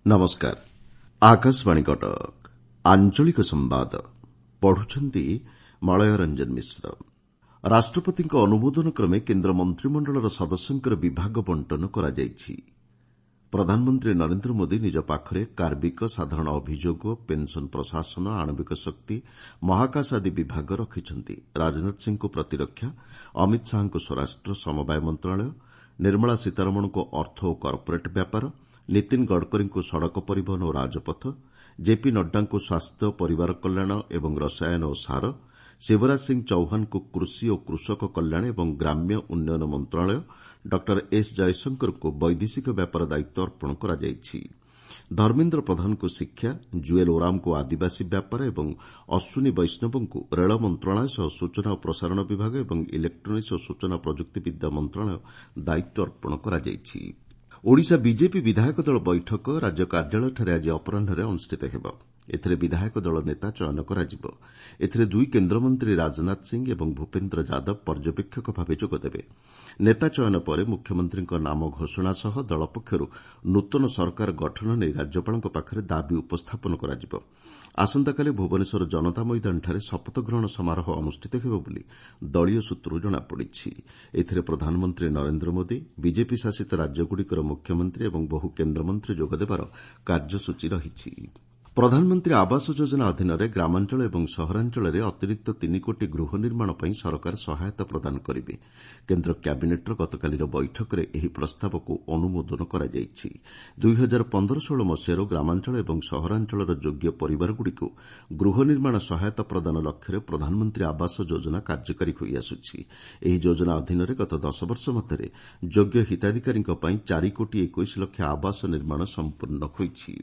ନମସ୍କାର। ଆକାଶବାଣୀ କଟକ। ଆଞ୍ଚଳିକ ସମ୍ବାଦ ପଢୁଛନ୍ତି ମଳୟ ରଞ୍ଜନ ମିଶ୍ର। ରାଷ୍ଟ୍ରପତିଙ୍କ ଅନୁମୋଦନ କ୍ରମେ କେନ୍ଦ୍ର ମନ୍ତ୍ରିମଣ୍ଡଳର ସଦସ୍ୟଙ୍କର ବିଭାଗ ବଣ୍ଟନ କରାଯାଇଛି। ପ୍ରଧାନମନ୍ତ୍ରୀ ନରେନ୍ଦ୍ର ମୋଦି ନିଜ ପାଖରେ କାର୍ମିକ, ସାଧାରଣ ଅଭିଯୋଗ, ପେନ୍ସନ୍ ପ୍ରଶାସନ, ଆଣବିକ ଶକ୍ତି, ମହାକାଶ ଆଦି ବିଭାଗ ରଖିଛନ୍ତି। ରାଜନାଥ ସିଂହଙ୍କୁ ପ୍ରତିରକ୍ଷା, ଅମିତ ଶାହାଙ୍କୁ ସ୍ୱରାଷ୍ଟ୍ର, ସମବାୟ ମନ୍ତ୍ରଣାଳୟ, ନିର୍ମଳା ସୀତାରମଣଙ୍କୁ ଅର୍ଥ ଓ କର୍ପୋରେଟ୍ ବ୍ୟାପାର, ନୀତିନ ଗଡ଼କରୀଙ୍କୁ ସଡ଼କ ପରିବହନ ଓ ରାଜପଥ, ଜେପି ନଡ୍ଡାଙ୍କୁ ସ୍ୱାସ୍ଥ୍ୟ, ପରିବାର କଲ୍ୟାଣ ଏବଂ ରସାୟନ ଓ ସାର, ଶିବରାଜ ସିଂ ଚୌହାନଙ୍କୁ କୃଷି ଓ କୃଷକ କଲ୍ୟାଣ ଏବଂ ଗ୍ରାମ୍ୟ ଉନ୍ନୟନ ମନ୍ତ୍ରଣାଳୟ, ଡକ୍ଟର ଏସ୍ ଜୟଶଙ୍କରଙ୍କୁ ବୈଦେଶିକ ବ୍ୟାପାର ଦାୟିତ୍ୱ ଅର୍ପଣ କରାଯାଇଛି। ଧର୍ମେନ୍ଦ୍ର ପ୍ରଧାନଙ୍କୁ ଶିକ୍ଷା, ଜୁଏଲ୍ ଓରାମଙ୍କୁ ଆଦିବାସୀ ବ୍ୟାପାର ଏବଂ ଅଶ୍ୱିନୀ ବୈଷ୍ଣବଙ୍କୁ ରେଳ ମନ୍ତ୍ରଣାଳୟ ସହ ସୂଚନା ଓ ପ୍ରସାରଣ ବିଭାଗ ଏବଂ ଇଲେକ୍ଟ୍ରୋନିକ୍ସ ଓ ସୂଚନା ପ୍ରଯୁକ୍ତିବିଦ୍ୟା ମନ୍ତ୍ରଣାଳୟ ଦାୟିତ୍ୱ ଅର୍ପଣ କରାଯାଇଛି। ଓଡ଼ିଶା ବିଜେପି ବିଧାୟକ ଦଳ ବୈଠକ ରାଜ୍ୟ କାର୍ଯ୍ୟାଳୟଠାରେ ଆଜି ଅପରାହ୍ନରେ ଅନୁଷ୍ଠିତ ହେବ। ଏଥିରେ ବିଧାୟକ ଦଳ ନେତା ଚୟନ କରାଯିବ। ଏଥିରେ ଦୁଇ କେନ୍ଦ୍ରମନ୍ତ୍ରୀ ରାଜନାଥ ସିଂ ଏବଂ ଭୂପେନ୍ଦ୍ର ଯାଦବ ପର୍ଯ୍ୟବେକ୍ଷକ ଭାବେ ଯୋଗଦେବେ। ନେତା ଚୟନ ପରେ ମୁଖ୍ୟମନ୍ତ୍ରୀଙ୍କ ନାମ ଘୋଷଣା ସହ ଦଳ ପକ୍ଷରୁ ନୂତନ ସରକାର ଗଠନ ନେଇ ରାଜ୍ୟପାଳଙ୍କ ପାଖରେ ଦାବି ଉପସ୍ଥାପନ କରାଯିବ। ଆସନ୍ତାକାଲି ଭୁବନେଶ୍ୱର ଜନତା ମଇଦାନଠାରେ ଶପଥ ଗ୍ରହଣ ସମାରୋହ ଅନୁଷ୍ଠିତ ହେବ ବୋଲି ଦଳୀୟ ସୂତ୍ରରୁ ଜଣାପଡ଼ିଛି। ଏଥିରେ ପ୍ରଧାନମନ୍ତ୍ରୀ ନରେନ୍ଦ୍ର ମୋଦି, ବିଜେପି ଶାସିତ ରାଜ୍ୟଗୁଡ଼ିକର ମୁଖ୍ୟମନ୍ତ୍ରୀ ଏବଂ ବହୁ କେନ୍ଦ୍ରମନ୍ତ୍ରୀ ଯୋଗଦେବାର କାର୍ଯ୍ୟସୂଚୀ ରହିଛି। ପ୍ରଧାନମନ୍ତ୍ରୀ ଆବାସ ଯୋଜନା ଅଧୀନରେ ଗ୍ରାମାଞ୍ଚଳ ଏବଂ ସହରାଞ୍ଚଳରେ ଅତିରିକ୍ତ 3 କୋଟି ଗୃହ ନିର୍ମାଣ ପାଇଁ ସରକାର ସହାୟତା ପ୍ରଦାନ କରିବେ। କେନ୍ଦ୍ର କ୍ୟାବିନେଟ୍ର ଗତକାଲିର ବୈଠକରେ ଏହି ପ୍ରସ୍ତାବକୁ ଅନୁମୋଦନ କରାଯାଇଛି। 2015-16 ମସିହାରୁ ଗ୍ରାମାଞ୍ଚଳ ଏବଂ ସହରାଞ୍ଚଳର ଯୋଗ୍ୟ ପରିବାରଗୁଡ଼ିକୁ ଗୃହ ନିର୍ମାଣ ସହାୟତା ପ୍ରଦାନ ଲକ୍ଷ୍ୟରେ ପ୍ରଧାନମନ୍ତ୍ରୀ ଆବାସ ଯୋଜନା କାର୍ଯ୍ୟକାରୀ ହୋଇଆସୁଛି। ଏହି ଯୋଜନା ଅଧୀନରେ ଗତ 10 ବର୍ଷ ମଧ୍ୟରେ ଯୋଗ୍ୟ ହିତାଧିକାରୀଙ୍କ ପାଇଁ 4 କୋଟି 21 ଲକ୍ଷ ଆବାସ ନିର୍ମାଣ ସମ୍ପୂର୍ଣ୍ଣ ହୋଇଛି।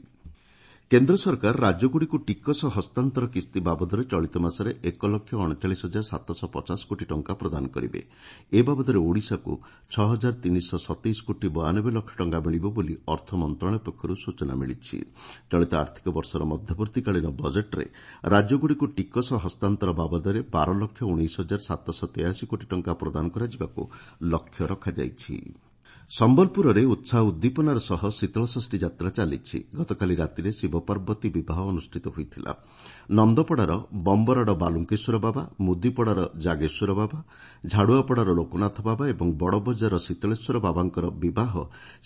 କେନ୍ଦ୍ର ସରକାର ରାଜ୍ୟଗୁଡ଼ିକୁ ଟିକସ ହସ୍ତାନ୍ତର କିସ୍ତି ବାବଦରେ ଚଳିତ ମାସରେ 1 ଲକ୍ଷ 39 ହଜାର 750 କୋଟି ଟଙ୍କା ପ୍ରଦାନ କରିବେ। ଏ ବାବଦରେ ଓଡ଼ିଶାକୁ 6 ହଜାର 327 କୋଟି 92 ଲକ୍ଷ ଟଙ୍କା ମିଳିବ ବୋଲି ଅର୍ଥ ମନ୍ତ୍ରଣାଳୟ ପକ୍ଷରୁ ସୂଚନା ମିଳିଛି। ଚଳିତ ଆର୍ଥିକ ବର୍ଷର ମଧ୍ୟବର୍ତ୍ତୀକାଳୀନ ବଜେଟ୍ରେ ରାଜ୍ୟଗୁଡ଼ିକୁ ଟିକସ ହସ୍ତାନ୍ତର ବାବଦରେ 12 ଲକ୍ଷ 19 ହଜାର 783 କୋଟି ଟଙ୍କା ପ୍ରଦାନ କରାଯିବାକୁ ଲକ୍ଷ୍ୟ ରଖାଯାଇଛି। ସମ୍ବଲପୁରରେ ଉତ୍ସାହ ଉଦ୍ଦୀପନାର ସହ ଶୀତଳଷଷ୍ଠୀ ଯାତ୍ରା ଚାଲିଛି। ଗତକାଲି ରାତିରେ ଶିବପାର୍ବତୀ ବିବାହ ଅନୁଷ୍ଠିତ ହୋଇଥିଲା। ନନ୍ଦପଡ଼ାର ବମ୍ବରାଡ଼ ବାଲୁଙ୍କେଶ୍ୱର ବାବା, ମୁଦିପଡ଼ାର ଜାଗେଶ୍ୱର ବାବା, ଝାଡ଼ୁଆପଡ଼ାର ଲୋକନାଥ ବାବା ଏବଂ ବଡ଼ବଜାରର ଶୀତଳେଶ୍ୱର ବାବାଙ୍କର ବିବାହ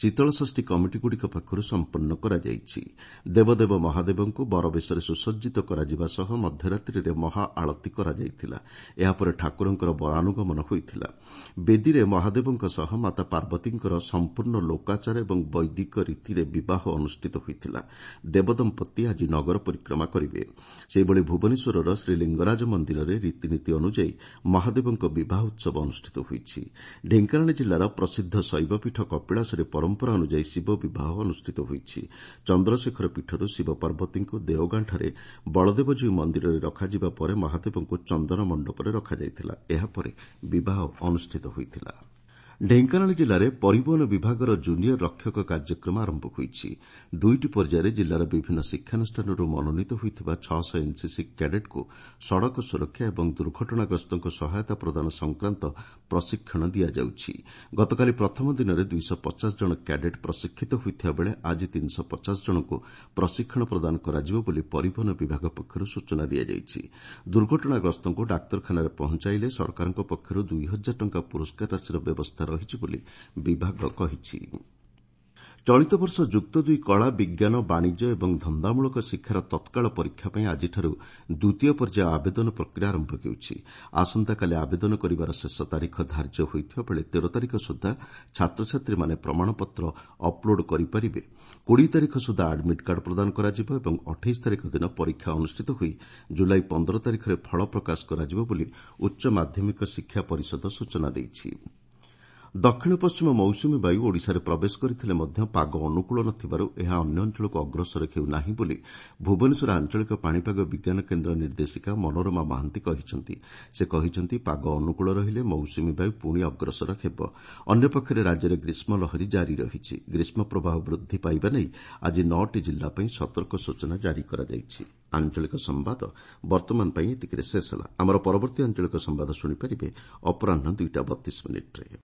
ଶୀତଳଷଷ୍ଠୀ କମିଟିଗୁଡ଼ିକ ପକ୍ଷରୁ ସମ୍ପନ୍ନ କରାଯାଇଛି। ଦେବଦେବ ମହାଦେବଙ୍କୁ ବରବେଶରେ ସୁସଜ୍ଜିତ କରାଯିବା ସହ ମଧ୍ୟରାତ୍ରିରେ ମହା ଆଳତୀ କରାଯାଇଥିଲା। ଏହାପରେ ଠାକୁରଙ୍କର ବରାନୁଗମନ ହୋଇଥିଲା। ବେଦୀରେ ମହାଦେବଙ୍କ ସହ ମାତା ପାର୍ବତୀଙ୍କର ସମ୍ପୂର୍ଣ୍ଣ ଲୋକାଚାର ଏବଂ ବୈଦିକ ରୀତିରେ ବିବାହ ଅନୁଷ୍ଠିତ ହୋଇଥିଲା। ଦେବଦମ୍ପତି ଆଜି ନଗର ପରିକ୍ରମା କରିବେ। ସେହିଭଳି ଭୁବନେଶ୍ୱରର ଶ୍ରୀଲିଙ୍ଗରାଜ ମନ୍ଦିରରେ ରୀତିନୀତି ଅନୁଯାୟୀ ମହାଦେବଙ୍କ ବିବାହ ଉତ୍ସବ ଅନୁଷ୍ଠିତ ହୋଇଛି। ଢେଙ୍କାନାଳ ଜିଲ୍ଲାର ପ୍ରସିଦ୍ଧ ଶୈବପୀଠ କପିଳାସରେ ପରମ୍ପରା ଅନୁଯାୟୀ ଶିବ ବିବାହ ଅନୁଷ୍ଠିତ ହୋଇଛି। ଚନ୍ଦ୍ରଶେଖର ପୀଠରୁ ଶିବ ପାର୍ବତୀଙ୍କୁ ଦେଓଗାଁଠାରେ ବଳଦେବଜୀଉ ମନ୍ଦିରରେ ରଖାଯିବା ପରେ ମହାଦେବଙ୍କୁ ଚନ୍ଦନ ମଣ୍ଡପରେ ରଖାଯାଇଥିଲା। ଏହାପରେ ବିବାହ ଅନୁଷ୍ଠିତ ହୋଇଥିଲା। ଢେଙ୍କାନାଳ ଜିଲ୍ଲାରେ ପରିବହନ ବିଭାଗର ଜୁନିୟର ରକ୍ଷକ କାର୍ଯ୍ୟକ୍ରମ ଆରମ୍ଭ ହୋଇଛି। ଦୁଇଟି ପର୍ଯ୍ୟାୟରେ ଜିଲ୍ଲାର ବିଭିନ୍ନ ଶିକ୍ଷାନୁଷ୍ଠାନରୁ ମନୋନୀତ ହୋଇଥିବା 600 ଏନ୍ସିସି କ୍ୟାଡେଟ୍କୁ ସଡ଼କ ସୁରକ୍ଷା ଏବଂ ଦୁର୍ଘଟଣାଗ୍ରସ୍ତଙ୍କୁ ସହାୟତା ପ୍ରଦାନ ସଂକ୍ରାନ୍ତ ପ୍ରଶିକ୍ଷଣ ଦିଆଯାଉଛି। ଗତକାଲି ପ୍ରଥମ ଦିନରେ 250 ଜଣ କ୍ୟାଡେଟ୍ ପ୍ରଶିକ୍ଷିତ ହୋଇଥିବା ବେଳେ ଆଜି 350 ଜଣଙ୍କୁ ପ୍ରଶିକ୍ଷଣ ପ୍ରଦାନ କରାଯିବ ବୋଲି ପରିବହନ ବିଭାଗ ପକ୍ଷରୁ ସୂଚନା ଦିଆଯାଇଛି। ଦୁର୍ଘଟଣାଗ୍ରସ୍ତଙ୍କୁ ଡାକ୍ତରଖାନାରେ ପହଞ୍ଚାଇଲେ ସରକାରଙ୍କ ପକ୍ଷରୁ 2 ହଜାର ଟଙ୍କା ପୁରସ୍କାର ରାଶିର ବ୍ୟବସ୍ଥା ରହିଛି ବୋଲି ବିଭାଗ କହିଛି। ଚଳିତ ବର୍ଷ ଯୁକ୍ତ ଦୁଇ କଳା, ବିଜ୍ଞାନ, ବାଣିଜ୍ୟ ଏବଂ ଧନ୍ଦାମୂଳକ ଶିକ୍ଷାର ତତ୍କାଳ ପରୀକ୍ଷା ପାଇଁ ଆଜିଠାରୁ ଦ୍ୱିତୀୟ ପର୍ଯ୍ୟାୟ ଆବେଦନ ପ୍ରକ୍ରିୟା ଆରମ୍ଭ ହେଉଛି। ଆସନ୍ତାକାଲି ଆବେଦନ କରିବାର ଶେଷ ତାରିଖ ଧାର୍ଯ୍ୟ ହୋଇଥିବା ବେଳେ 13 ତାରିଖ ସୁଦ୍ଧା ଛାତ୍ରଛାତ୍ରୀମାନେ ପ୍ରମାଣପତ୍ର ଅପ୍ଲୋଡ୍ କରିପାରିବେ। 20 ତାରିଖ ସୁଦ୍ଧା ଆଡ୍ମିଟ୍ କାର୍ଡ଼ ପ୍ରଦାନ କରାଯିବ ଏବଂ 28 ତାରିଖ ଦିନ ପରୀକ୍ଷା ଅନୁଷ୍ଠିତ ହୋଇ ଜୁଲାଇ 15 ତାରିଖରେ ଫଳ ପ୍ରକାଶ କରାଯିବ ବୋଲି ଉଚ୍ଚ ମାଧ୍ୟମିକ ଶିକ୍ଷା ପରିଷଦ ସୂଚନା ଦେଇଛି। ଦକ୍ଷିଣ ପଶ୍ଚିମ ମୌସୁମୀ ବାୟୁ ଓଡ଼ିଶାରେ ପ୍ରବେଶ କରିଥିଲେ ମଧ୍ୟ ପାଗ ଅନୁକୂଳ ନଥିବାରୁ ଏହା ଅନ୍ୟ ଅଞ୍ଚଳକୁ ଅଗ୍ରସର ହେଉନାହିଁ ବୋଲି ଭୁବନେଶ୍ୱର ଆଞ୍ଚଳିକ ପାଣିପାଗ ବିଜ୍ଞାନ କେନ୍ଦ୍ର ନିର୍ଦ୍ଦେଶିକା ମନୋରମା ମହାନ୍ତି କହିଛନ୍ତି। ସେ କହିଛନ୍ତି, ପାଗ ଅନୁକୂଳ ରହିଲେ ମୌସୁମୀ ବାୟୁ ପୁଣି ଅଗ୍ରସର ହେବ। ଅନ୍ୟପକ୍ଷରେ ରାଜ୍ୟରେ ଗ୍ରୀଷ୍ମ ଲହରୀ ଜାରି ରହିଛି। ଗ୍ରୀଷ୍ମ ପ୍ରବାହ ବୃଦ୍ଧି ପାଇବା ନେଇ ଆଜି ନଅଟି ଜିଲ୍ଲା ପାଇଁ ସତର୍କ ସୂଚନା ଜାରି କରାଯାଇଛି। ଆଞ୍ଚଳିକ ସମ୍ବାଦ ବର୍ତ୍ତମାନ ପାଇଁ ଏତିକିରେ ଶେଷ ହେଲା। ଆମର ପରବର୍ତ୍ତୀ ଆଞ୍ଚଳିକ ସମ୍ବାଦ ଶୁଣିପାରିବେ ଅପରାହ୍ନ 2ଟା 32 ମିନିଟ୍ରେ।